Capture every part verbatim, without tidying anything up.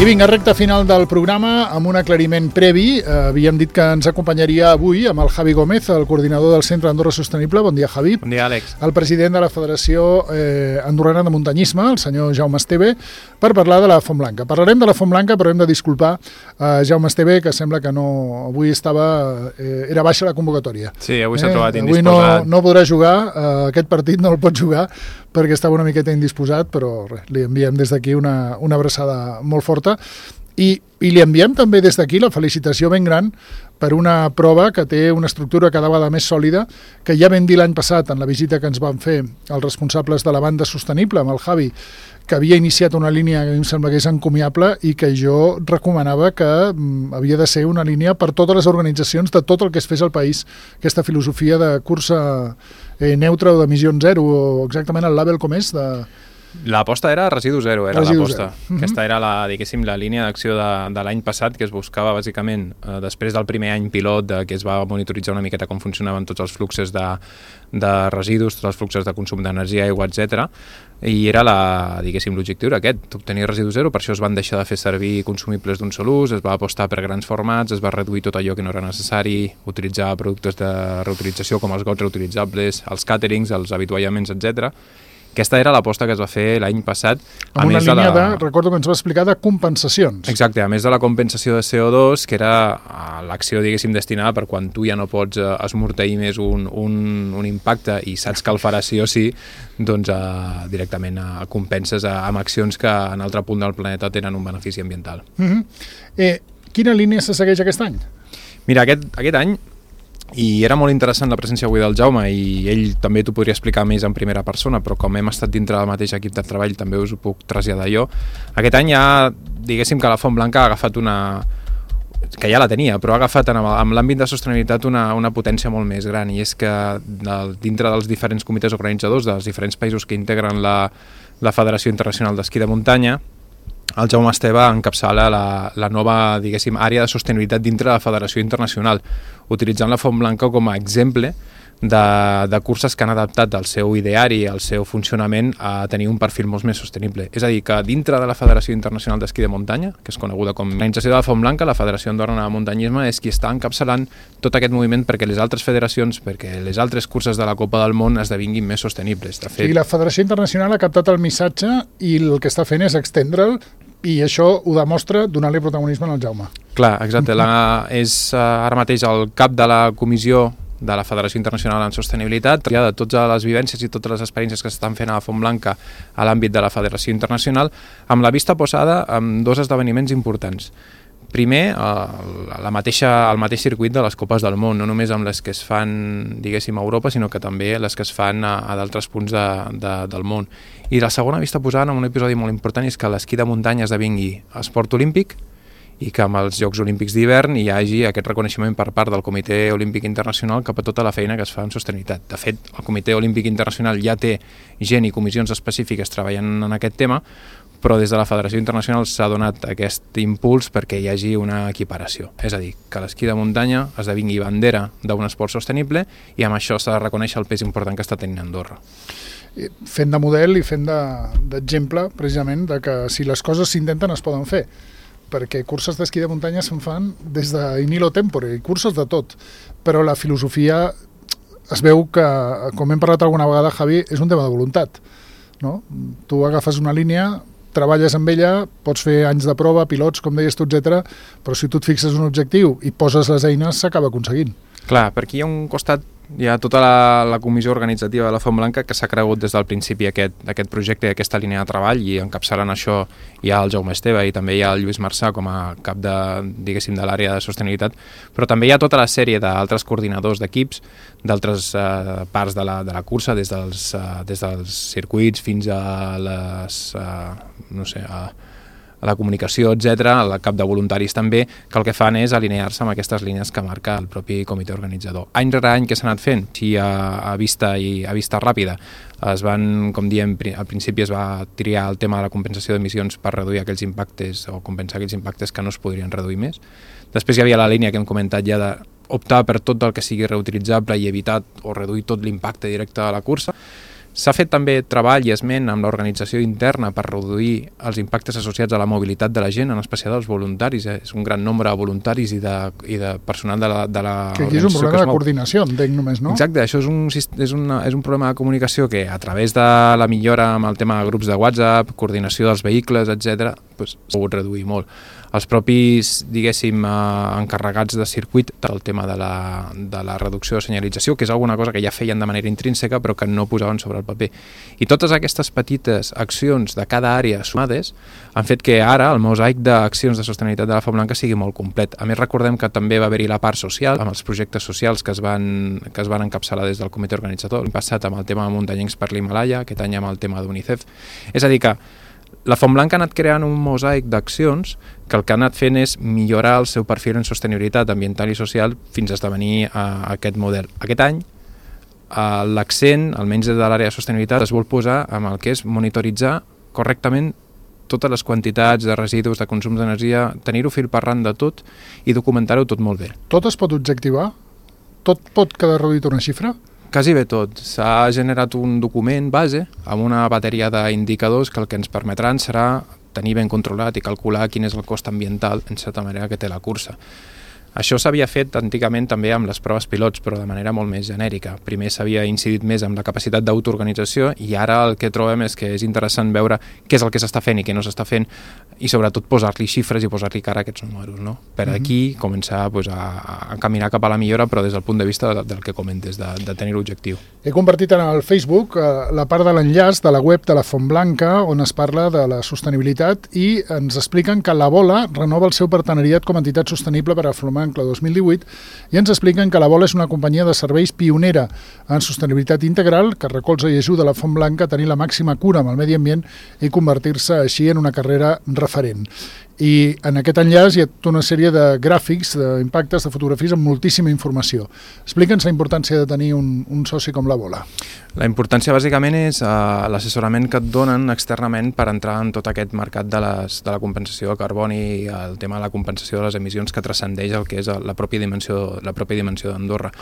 I vinga, recta final del programa amb un aclariment previ. Eh, havíem dit que ens acompanyaria avui amb el Javi Gómez, el coordinador del Centre Andorra Sostenible. Bon dia, Javi. Bon dia, Àlex. El president de la Federació eh, Andorrana de Muntanyisme, el senyor Jaume Esteve, per parlar de la Font Blanca. Parlarem de la Font Blanca, però hem de disculpar a eh, Jaume Esteve, que sembla que no, avui estava, eh, era baixa la convocatòria. Sí, avui s'ha eh, trobat indisposat. Avui no, no podrà jugar, eh, aquest partit no el pot jugar, perquè estava una miqueta indisposat, però res, li enviem des d'aquí una, una abraçada molt forta. I, i li enviem també des d'aquí la felicitació ben gran per una prova que té una estructura cada vegada més sòlida, que ja vam dir l'any passat en la visita que ens van fer els responsables de la banda sostenible amb el Javi, que havia iniciat una línia que a mi em sembla que és encomiable i que jo recomanava que mm, havia de ser una línia per totes les organitzacions de tot el que es fes al país, aquesta filosofia de cursa eh, neutra o d'emissions zero, o exactament el label com és de... L'aposta era residu zero, era residu l'aposta. Zero. Aquesta era la, diguéssim, la línia d'acció de, de l'any passat, que es buscava bàsicament eh, després del primer any pilot, de, que es va monitoritzar una miqueta com funcionaven tots els fluxos de, de residus, tots els fluxos de consum d'energia, aigua, etcètera. I era la, diguéssim, l'objectiu era aquest, obtenir residu zero. Per això es van deixar de fer servir consumibles d'un sol ús, es va apostar per grans formats, es va reduir tot allò que no era necessari, utilitzar productes de reutilització com els gots reutilitzables, els càterings, els avituallaments, etcètera. Aquesta era l'aposta que es va fer l'any passat. Amb una línia de, de, recordo que ens va explicar, de compensacions. Exacte, a més de la compensació de C O dos, que era l'acció, diguéssim, destinada per quan tu ja no pots eh, esmorteir més un, un, un impacte i saps que el faràs sí o sí, doncs eh, directament eh, compenses eh, amb accions que en altre punt del planeta tenen un benefici ambiental. Uh-huh. eh, quina línia se segueix aquest any? Mira, aquest, aquest any, i era molt interessant la presència avui del Jaume, i ell també t'ho podria explicar més en primera persona, però com hem estat dintre del mateix equip de treball també us ho puc traslladar jo. Aquest any ja, diguéssim que la Font Blanca ha agafat una... que ja la tenia, però ha agafat en, en l'àmbit de sostenibilitat una, una potència molt més gran, i és que dintre dels diferents comitès organitzadors dels diferents països que integren la, la Federació Internacional d'Esquí de Muntanya, el Jaume Esteve encapçala la, la nova, diguéssim, àrea de sostenibilitat dintre de la Federació Internacional, utilitzant la Font Blanca com a exemple de, de curses que han adaptat el seu ideari, el seu funcionament a tenir un perfil molt més sostenible. És a dir, que dintre de la Federació Internacional d'Esquí de Muntanya, que és coneguda com l'organització de la Font Blanca, la Federació Andorrana de Muntanyisme és qui està encapçalant tot aquest moviment perquè les altres federacions, perquè les altres curses de la Copa del Món esdevinguin més sostenibles. De fet, sí, la Federació Internacional ha captat el missatge i el que està fent és extendre'l, i això ho demostra donant-li protagonisme al Jaume. Clar, exacte. La, és uh, ara mateix el cap de la comissió de la Federació Internacional en Sostenibilitat, ja de totes les vivències i totes les experiències que s'estan fent a la Font Blanca a l'àmbit de la Federació Internacional, amb la vista posada en dos esdeveniments importants. Primer, la mateixa, el mateix circuit de les Copes del Món, no només amb les que es fan, diguéssim, a Europa, sinó que també les que es fan a, a d'altres punts de, de, del món. I la segona vista posada en un episodi molt important és que l'esquí de muntanya esdevingui esport olímpic i que amb els Jocs Olímpics d'hivern hi hagi aquest reconeixement per part del Comitè Olímpic Internacional cap a tota la feina que es fa en sostenibilitat. De fet, el Comitè Olímpic Internacional ja té gent i comissions específiques treballant en aquest tema, però des de la Federació Internacional s'ha donat aquest impuls perquè hi hagi una equiparació. És a dir, que l'esquí de muntanya esdevingui bandera d'un esport sostenible i amb això s'ha de reconèixer el pes important que està tenint Andorra. Fent de model i fent d'exemple, de, precisament, de que si les coses s'intenten es poden fer, perquè curses d'esquí de muntanya se'n fan des de in illo tempore, curses de tot, però la filosofia es veu que, com hem parlat alguna vegada, Javi, és un tema de voluntat, no? Tu agafes una línia, treballes amb ella, pots fer anys de prova, pilots, com deies tu, etcètera, però si tu et fixes un objectiu i poses les eines, s'acaba aconseguint. Clar, per aquí hi ha un costat, hi ha tota la, la comissió organitzativa de la Font Blanca que s'ha cregut des del principi aquest, aquest projecte i aquesta línia de treball, i encapçalant això hi ha el Jaume Esteve i també hi ha el Lluís Marçà com a cap de, diguéssim, de l'àrea de sostenibilitat, però també hi ha tota la sèrie d'altres coordinadors d'equips d'altres eh, parts de la, de la cursa, des dels, eh, des dels circuits fins a les, eh, no sé, a a la comunicació, etcètera, el cap de voluntaris també, que el que fan és alinear-se amb aquestes línies que marca el propi comitè organitzador. Any rere any que s'ha anat fent, sí, a, a, vista i, a vista ràpida, es van, com diem, al principi es va triar el tema de la compensació d'emissions per reduir aquells impactes o compensar aquells impactes que no es podrien reduir més. Després hi havia la línia que hem comentat ja d'optar per tot el que sigui reutilitzable i evitar o reduir tot l'impacte directe de la cursa. S'ha fet també treball i esment amb l'organització interna per reduir els impactes associats a la mobilitat de la gent, en especial dels voluntaris. Eh? És un gran nombre de voluntaris i de, i de personal de la, de la que aquí és un problema de coordinació, entenc només, no? Exacte, això és un, és, una, és un problema de comunicació que a través de la millora amb el tema de grups de WhatsApp, coordinació dels vehicles, etcètera, doncs, s'ha pogut reduir molt. Els propis, diguéssim, eh, encarregats de circuit del tema de la, de la reducció de senyalització, que és alguna cosa que ja feien de manera intrínseca però que no posaven sobre el paper. I totes aquestes petites accions de cada àrea sumades han fet que ara el mosaic d'accions de sostenibilitat de la Font Blanca sigui molt complet. A més, recordem que també va haver-hi la part social, amb els projectes socials que es van, que es van encapçalar des del comitè organitzador. L'any passat amb el tema de muntanyencs per l'Himalaya, aquest any amb el tema d'UNICEF. És a dir que la Font Blanca ha anat creant un mosaic d'accions que el que ha anat fent és millorar el seu perfil en sostenibilitat ambiental i social fins a esdevenir uh, aquest model. Aquest any uh, l'accent, almenys des de l'àrea de sostenibilitat, es vol posar amb el que és monitoritzar correctament totes les quantitats de residus, de consum d'energia, tenir-ho fil per ran de tot i documentar-ho tot molt bé. Tot es pot objectivar? Tot pot quedar reduït a una xifra? Quasi bé tot. S'ha generat un document base amb una bateria d'indicadors que el que ens permetran serà tenir ben controlat i calcular quin és el cost ambiental, en certa manera, que té la cursa. Això s'havia fet antigament també amb les proves pilots, però de manera molt més genèrica. Primer s'havia incidit més en la capacitat d'autoorganització i ara el que trobem és que és interessant veure què és el que s'està fent i què no s'està fent i sobretot posar-li xifres i posar-li cara a aquests números, no? Per aquí començar pues, a, a caminar cap a la millora, però des del punt de vista del que comentes, de, de tenir l'objectiu. He compartit en el Facebook eh, la part de l'enllaç de la web de la Font Blanca on es parla de la sostenibilitat i ens expliquen que la Bola renova el seu partenariat com a entitat sostenible per a Font Blanca dos mil divuit i ens expliquen que la Bola és una companyia de serveis pionera en sostenibilitat integral que recolza i ajuda la Font Blanca a tenir la màxima cura amb el medi ambient i convertir-se així en una carrera referent. I en aquest enllaç hi ha tota una sèrie de gràfics, d'impactes, de fotografies amb moltíssima informació. Explica'ns la importància de tenir un, un soci com la Bola. La importància bàsicament és uh, l'assessorament que et donen externament per entrar en tot aquest mercat de, les, de la compensació de carboni i el tema de la compensació de les emissions que transcendeix el que és la pròpia dimensió, la pròpia dimensió d'Andorra.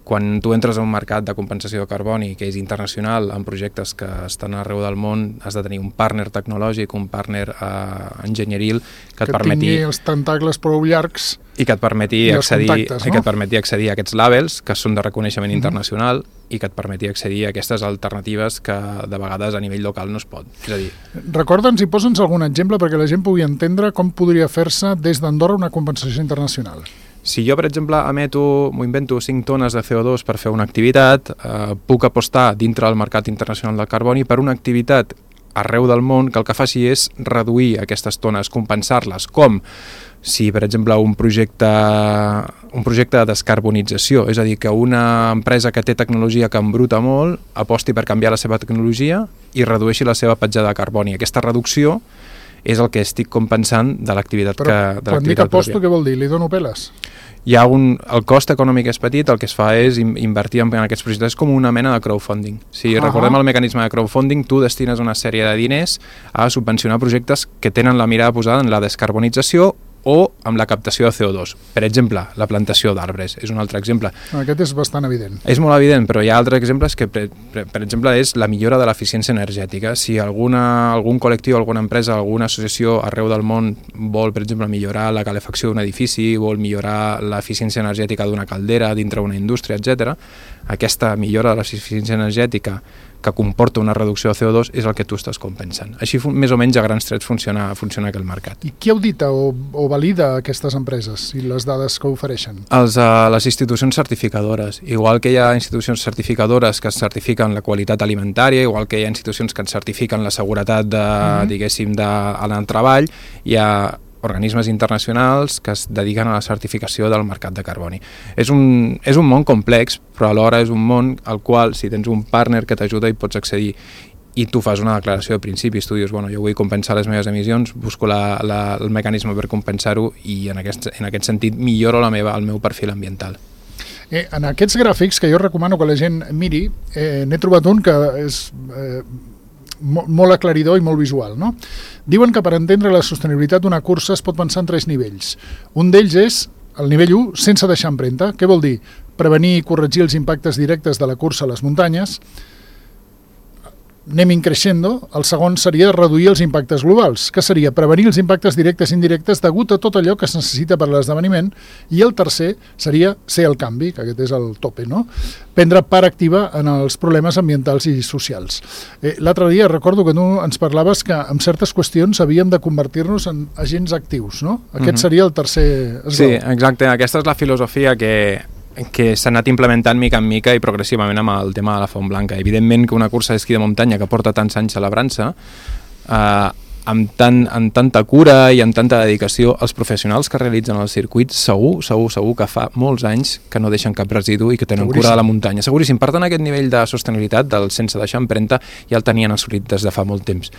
Quan tu entres a un mercat de compensació de carboni que és internacional, amb projectes que estan arreu del món, has de tenir un partner tecnològic, un partner uh, enginyeril que, que et permeti tingui els tentacles prou llargs i que et permeti accedir, no? i que et permeti accedir a aquests labels que són de reconeixement mm-hmm. internacional i que et permeti accedir a aquestes alternatives que de vegades a nivell local no es pot. És a dir, recorda'ns i posa'ns algun exemple perquè la gent pugui entendre com podria fer-se des d'Andorra una compensació internacional. Si jo, per exemple, emeto, m'ho invento, cinc tones de C O dos per fer una activitat, eh, puc apostar dintre del mercat internacional del carboni per una activitat arreu del món que el que faci és reduir aquestes tones, compensar-les, com si, per exemple, un projecte, un projecte de descarbonització, és a dir, que una empresa que té tecnologia que embruta molt aposti per canviar la seva tecnologia i redueixi la seva petjada de carboni. Aquesta reducció és el que estic compensant de l'activitat que... Però quan dic aposto, què vol dir? Li dono peles? Hi ha un, el cost econòmic és petit, el que es fa és invertir en aquests projectes com una mena de crowdfunding. Si uh-huh. recordem el mecanisme de crowdfunding, tu destines una sèrie de diners a subvencionar projectes que tenen la mirada posada en la descarbonització o amb la captació de C O dos. Per exemple, la plantació d'arbres és un altre exemple. Aquest és bastant evident. És molt evident, però hi ha altres exemples que, per, per, per exemple, és la millora de l'eficiència energètica. Si alguna, algun col·lectiu, alguna empresa, alguna associació arreu del món vol, per exemple, millorar la calefacció d'un edifici, vol millorar l'eficiència energètica d'una caldera dintre d'una indústria, etcètera, aquesta millora de l'eficiència energètica que comporta una reducció de C O dos és el que tu estàs compensant. Així, més o menys, a grans trets funciona, funciona aquest mercat. I qui audita o, o valida aquestes empreses i les dades que ofereixen? Els, uh, les institucions certificadores. Igual que hi ha institucions certificadores que certifiquen la qualitat alimentària, igual que hi ha institucions que certifiquen la seguretat de, mm-hmm. diguéssim, de, en el treball, hi ha organismes internacionals que es dediquen a la certificació del mercat de carboni. És un, és un món complex, però alhora és un món al qual, si tens un partner que t'ajuda, hi pots accedir i tu fas una declaració de principis, tu dius, bueno, jo vull compensar les meves emissions, busco la, la, el mecanisme per compensar-ho i en aquest, en aquest sentit milloro la meva, el meu perfil ambiental. Eh, en aquests gràfics, que jo recomano que la gent miri, eh, n'he trobat un que és... Eh, molt aclaridor i molt visual, no? Diuen que per entendre la sostenibilitat d'una cursa es pot pensar en tres nivells. Un d'ells és el nivell u, sense deixar empremta. Què vol dir? Prevenir i corregir els impactes directes de la cursa a les muntanyes. anem increixendo, el segon seria reduir els impactes globals, que seria prevenir els impactes directes i indirectes degut a tot allò que es necessita per a l'esdeveniment, i el tercer seria ser el canvi, que aquest és el tope, no? Prendre part activa en els problemes ambientals i socials. Eh, L'altre dia recordo que tu ens parlaves que en certes qüestions havíem de convertir-nos en agents actius, no? Aquest Mhm. seria el tercer esglaó. Sí, exacte. Aquesta és la filosofia que, que s'ha anat implementant mica en mica i progressivament amb el tema de la Font Blanca. Evidentment que una cursa d'esquí de muntanya que porta tants anys celebrant-se, eh, amb, tant, amb tanta cura i amb tanta dedicació, els professionals que realitzen el circuit segur, segur, segur que fa molts anys que no deixen cap residu i que tenen Seguríssim. cura de la muntanya. Seguríssim, per tant aquest nivell de sostenibilitat del sense deixar empremta ja el tenien assolit des de fa molt temps.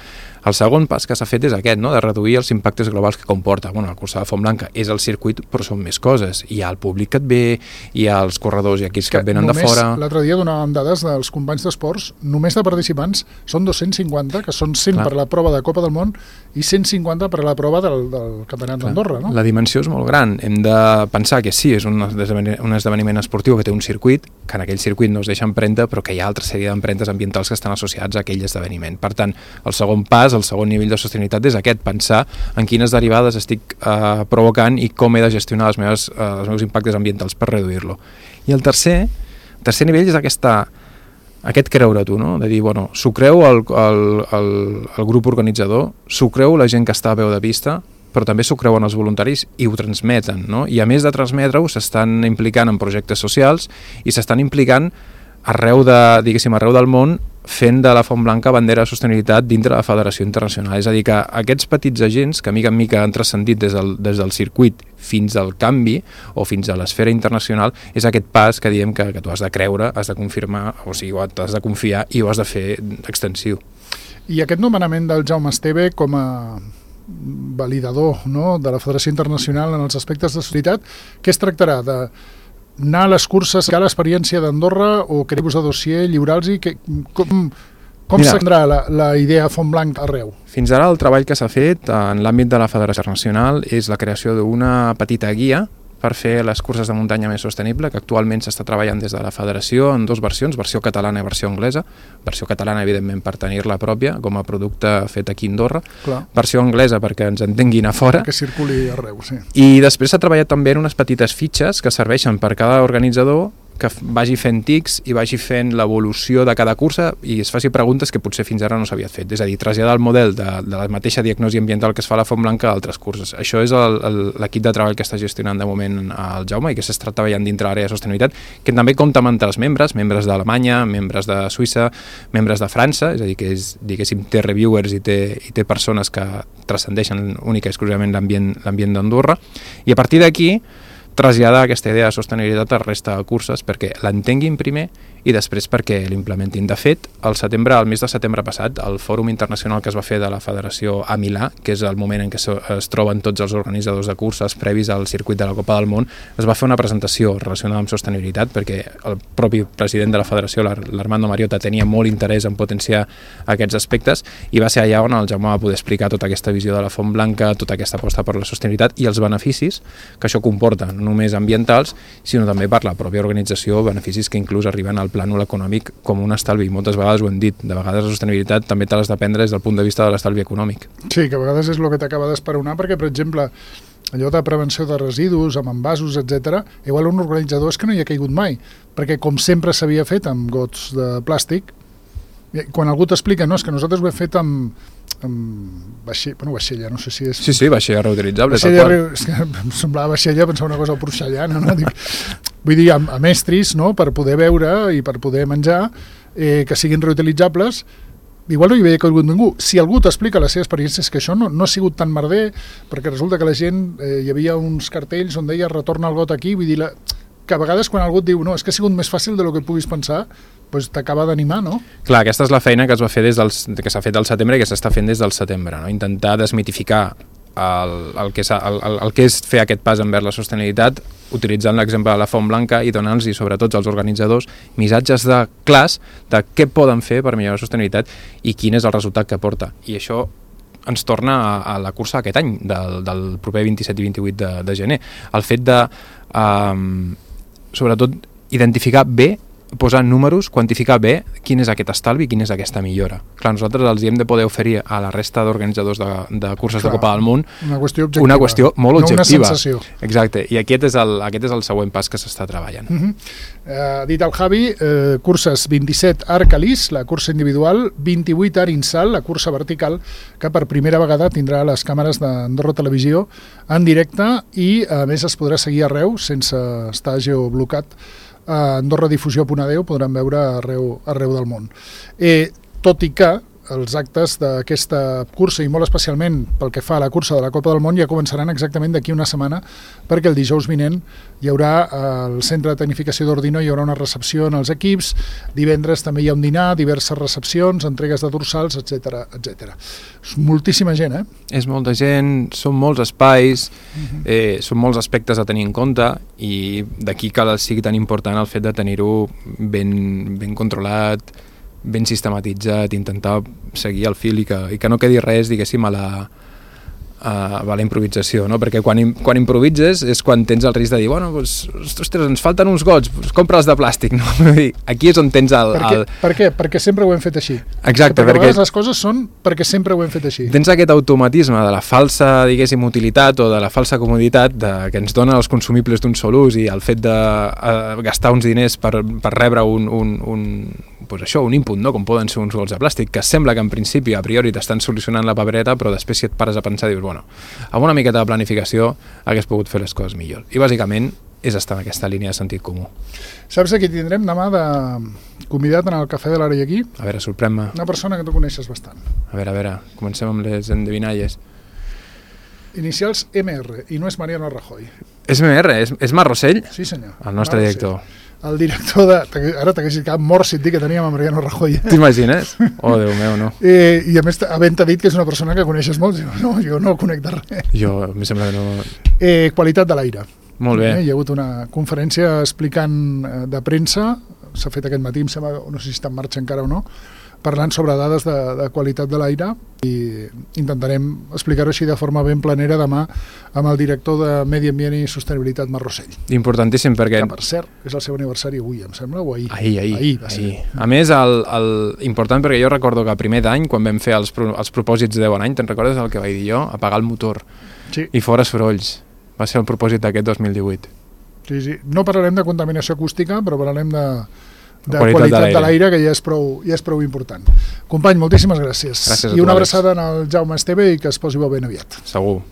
El segon pas que s'ha fet és aquest, no? De reduir els impactes globals que comporta. Bueno, la cursa de Font Blanca és el circuit, però són més coses. Hi ha el públic que et ve, hi ha els corredors i equips que, que et venen de fora. L'altre dia donàvem dades dels companys d'esports, només de participants són dos-cents cinquanta, que són cent Clar. per la prova de Copa del Món i cent cinquanta per la prova del, del Campionat d'Andorra, no? La dimensió és molt gran. Hem de pensar que sí, és un esdeveniment, un esdeveniment esportiu que té un circuit, que en aquell circuit no es deixa empremta, però que hi ha altra sèrie d'empremtes ambientals que estan associats a aquell esdeveniment. Per tant, el segon pas, el segon nivell de sostenibilitat és aquest, pensar en quines derivades estic eh, provocant i com he de gestionar les meves, eh, els meus impactes ambientals per reduir-lo. I el tercer, el tercer nivell és aquesta, aquest creure tu, no? De dir, bueno, s'ho creu el, el, el, el grup organitzador, s'ho creu la gent que està a veu de vista, però també s'ho creuen els voluntaris i ho transmeten, no? I a més de transmetre-ho, s'estan implicant en projectes socials i s'estan implicant arreu, de, diguéssim, arreu del món fent de la Font Blanca bandera de sostenibilitat dintre de la Federació Internacional. És a dir, que aquests petits agents que mica en mica han transcendit des del, des del circuit fins al canvi o fins a l'esfera internacional és aquest pas que diem que, que tu has de creure, has de confirmar, o sigui, has de confiar i ho has de fer extensiu. I aquest nomenament del Jaume Esteve com a validador, no?, de la Federació Internacional en els aspectes de sostenibilitat, què es tractarà? De anar a les curses, que l'experiència d'Andorra o querer-vos a dossier, lliurar-los, com, com s'endrà la, la idea Font Blanca arreu? Fins ara el treball que s'ha fet en l'àmbit de la Federació Internacional és la creació d'una petita guia per fer les curses de muntanya més sostenible, que actualment s'està treballant des de la Federació en dues versions, versió catalana i versió anglesa. Versió catalana, evidentment, per tenir-la pròpia, com a producte fet aquí a Andorra. Clar. Versió anglesa perquè ens entenguin a fora. Que circuli arreu, sí. I després s'ha treballat també en unes petites fitxes que serveixen per cada organitzador que vagi fent tics i vagi fent l'evolució de cada cursa i es faci preguntes que potser fins ara no s'havia fet. És a dir, traslladar el model de, de la mateixa diagnosi ambiental que es fa a la Font Blanca a altres curses. Això és l'equip de treball que està gestionant de moment el Jaume i que s'està treballant dintre l'àrea de sostenibilitat, que també compta amb altres membres, membres d'Alemanya, membres de Suïssa, membres de França, és a dir, que és, diguéssim, té reviewers i té, i té persones que transcendeixen única i exclusivament l'ambient l'ambient d'Andorra. I a partir d'aquí traslladar aquesta idea de sostenibilitat a la resta de curses perquè l'entenguin primer i després perquè l'implementin. De fet, al setembre, al mes de setembre passat, el fòrum internacional que es va fer de la Federació a Milà, que és el moment en què es troben tots els organitzadors de curses previs al circuit de la Copa del Món, es va fer una presentació relacionada amb sostenibilitat perquè el propi president de la Federació, l'Armando Mariota, tenia molt interès en potenciar aquests aspectes i va ser allà on el Jaume va poder explicar tota aquesta visió de la Font Blanca, tota aquesta aposta per la sostenibilitat i els beneficis que això comporta, no només ambientals, sinó també per la pròpia organització, beneficis que inclús arriben al plànol econòmic com un estalvi. Moltes vegades ho hem dit, de vegades la sostenibilitat també te l'has de prendre des del punt de vista de l'estalvi econòmic. Sí, que a vegades és el que t'acaba d'esperonar, perquè, per exemple, allò de prevenció de residus, amb envasos, etcètera, igual un organitzador és que no hi ha caigut mai, perquè com sempre s'havia fet amb gots de plàstic, quan algú t'explica, no, és que nosaltres ho hem fet amb, amb vaixella, bueno, vaixella, no sé si és... Sí, sí, vaixella reutilitzable, vaixella, tal qual. És que em semblava vaixella, pensava una cosa porcellana, no? Dic, vull dir, amb, amb estris, no?, per poder beure i per poder menjar, eh, que siguin reutilitzables, igual no hi havia caigut ningú. Si algú t'explica la seva experiència, és que això no, no ha sigut tan merder, perquè resulta que la gent, eh, hi havia uns cartells on deia retorna el got aquí, vull dir, la, que a vegades quan algú et diu no, és que ha sigut més fàcil de lo que puguis pensar, doncs t'acaba d'animar, no? Clar, aquesta és la feina que es va fer des del, que s'ha fet al setembre i que s'està fent des del setembre, no? Intentar desmitificar el, el, que el, el, el que és fer aquest pas envers la sostenibilitat, utilitzant l'exemple de la Font Blanca i donant-los, i sobretot als organitzadors, missatges de clars de què poden fer per millorar la sostenibilitat i quin és el resultat que porta. I això ens torna a, a la cursa aquest any, del, del proper vint-i-set i vint-i-vuit de, de gener. El fet de, um, sobretot, identificar bé posar números, quantificar bé quin és aquest estalvi i quina és aquesta millora. Clar, nosaltres els hi hem de poder oferir a la resta d'organitzadors de, de curses Clar, de Copa del Món una qüestió objectiva, una qüestió molt objectiva. No una sensació. Exacte, i aquest és el, aquest és el següent pas que s'està treballant. Uh -huh. uh, dit el Javi, uh, curses vint-i-set Arc-Alís, la cursa individual, vint-i-vuit Arinsal, la cursa vertical, que per primera vegada tindrà les càmeres d'Andorra Televisió en directe i a més es podrà seguir arreu sense estar geoblocat. A Andorra Difusió punt a deu podran veure arreu, arreu del món. Eh, tot i que els actes d'aquesta cursa, i molt especialment pel que fa a la cursa de la Copa del Món, ja començaran exactament d'aquí una setmana, perquè el dijous vinent hi haurà al Centre de Tecnificació d'Ordino, hi haurà una recepció en els equips, divendres també hi ha un dinar, diverses recepcions, entregues de dorsals, etcètera, etcètera. És moltíssima gent, eh? És molta gent, són molts espais, uh-huh. eh, són molts aspectes a tenir en compte, i d'aquí que sigui tan important el fet de tenir-ho ben, ben controlat, ben sistematitzat, intentar seguir el fil i que, i que no quedi res, diguéssim, a la, a, a la improvisació, no? Perquè quan, quan improvises és quan tens el risc de dir, bueno, doncs, ostres, ens falten uns gots, doncs compra-els de plàstic, no? Aquí és on tens el... Per què? el... Per què? Perquè sempre ho hem fet així. Exacte. Perquè, perquè a vegades les coses són perquè sempre ho hem fet així. Tens aquest automatisme de la falsa, diguéssim, utilitat o de la falsa comoditat de, que ens donen els consumibles d'un sol ús i el fet de uh, gastar uns diners per, per rebre un, un, un, pues això, un input, no? Com poden ser uns gots de plàstic, que sembla que en principi a priori t'estan solucionant la papereta, però després si et pares a pensar dius, bueno, amb una miqueta de planificació hagués pogut fer les coses millor. I bàsicament és estar en aquesta línia de sentit comú. Saps a qui tindrem demà de convidat en el Cafè de l'Ara i aquí? A veure, sorprèn-me. Una persona que tu coneixes bastant. A veure, a veure, comencem amb les endevinalles. Inicials M R, i no és Mariano Rajoy. És M R, és, és Marc Rossell? Sí, senyor. El nostre Marc director. Rossell. El director de... Ara t'haguessis quedat mort si et dic que teníem a Mariano Rajoy. T'imagines? Oh, Déu meu, no. Eh, I a més, havent-te dit que és una persona que coneixes molt, diu, no, jo no conec de res. Jo, em sembla que no... Eh, qualitat de l'aire. Molt bé. Eh, hi ha hagut una conferència explicant eh, de premsa, s'ha fet aquest matí, em sembla, no sé si està en marxa encara o no, parlant sobre dades de, de qualitat de l'aire, i intentarem explicar-ho així de forma ben planera demà amb el director de Medi Ambient i Sostenibilitat, Marc Rossell. Importantíssim perquè... Que, per cert, és el seu aniversari avui, em sembla, o ahir? Ahir, ahir. ahir, va ser. ahir. A més, el, el, important perquè jo recordo que a primer d'any, quan vam fer els, els propòsits de bon any, te'n recordes el que vaig dir jo? Apagar el motor. Sí. I fora sorolls. Va ser el propòsit d'aquest dos mil divuit. Sí, sí. No parlarem de contaminació acústica, però parlarem de... de qualitat, qualitat de de l'aire, que ja és, prou, ja és prou important. Company, moltíssimes gràcies. Gràcies a I tu, una Àlex. abraçada al Jaume Esteve i que es posi bo ben aviat. Segur.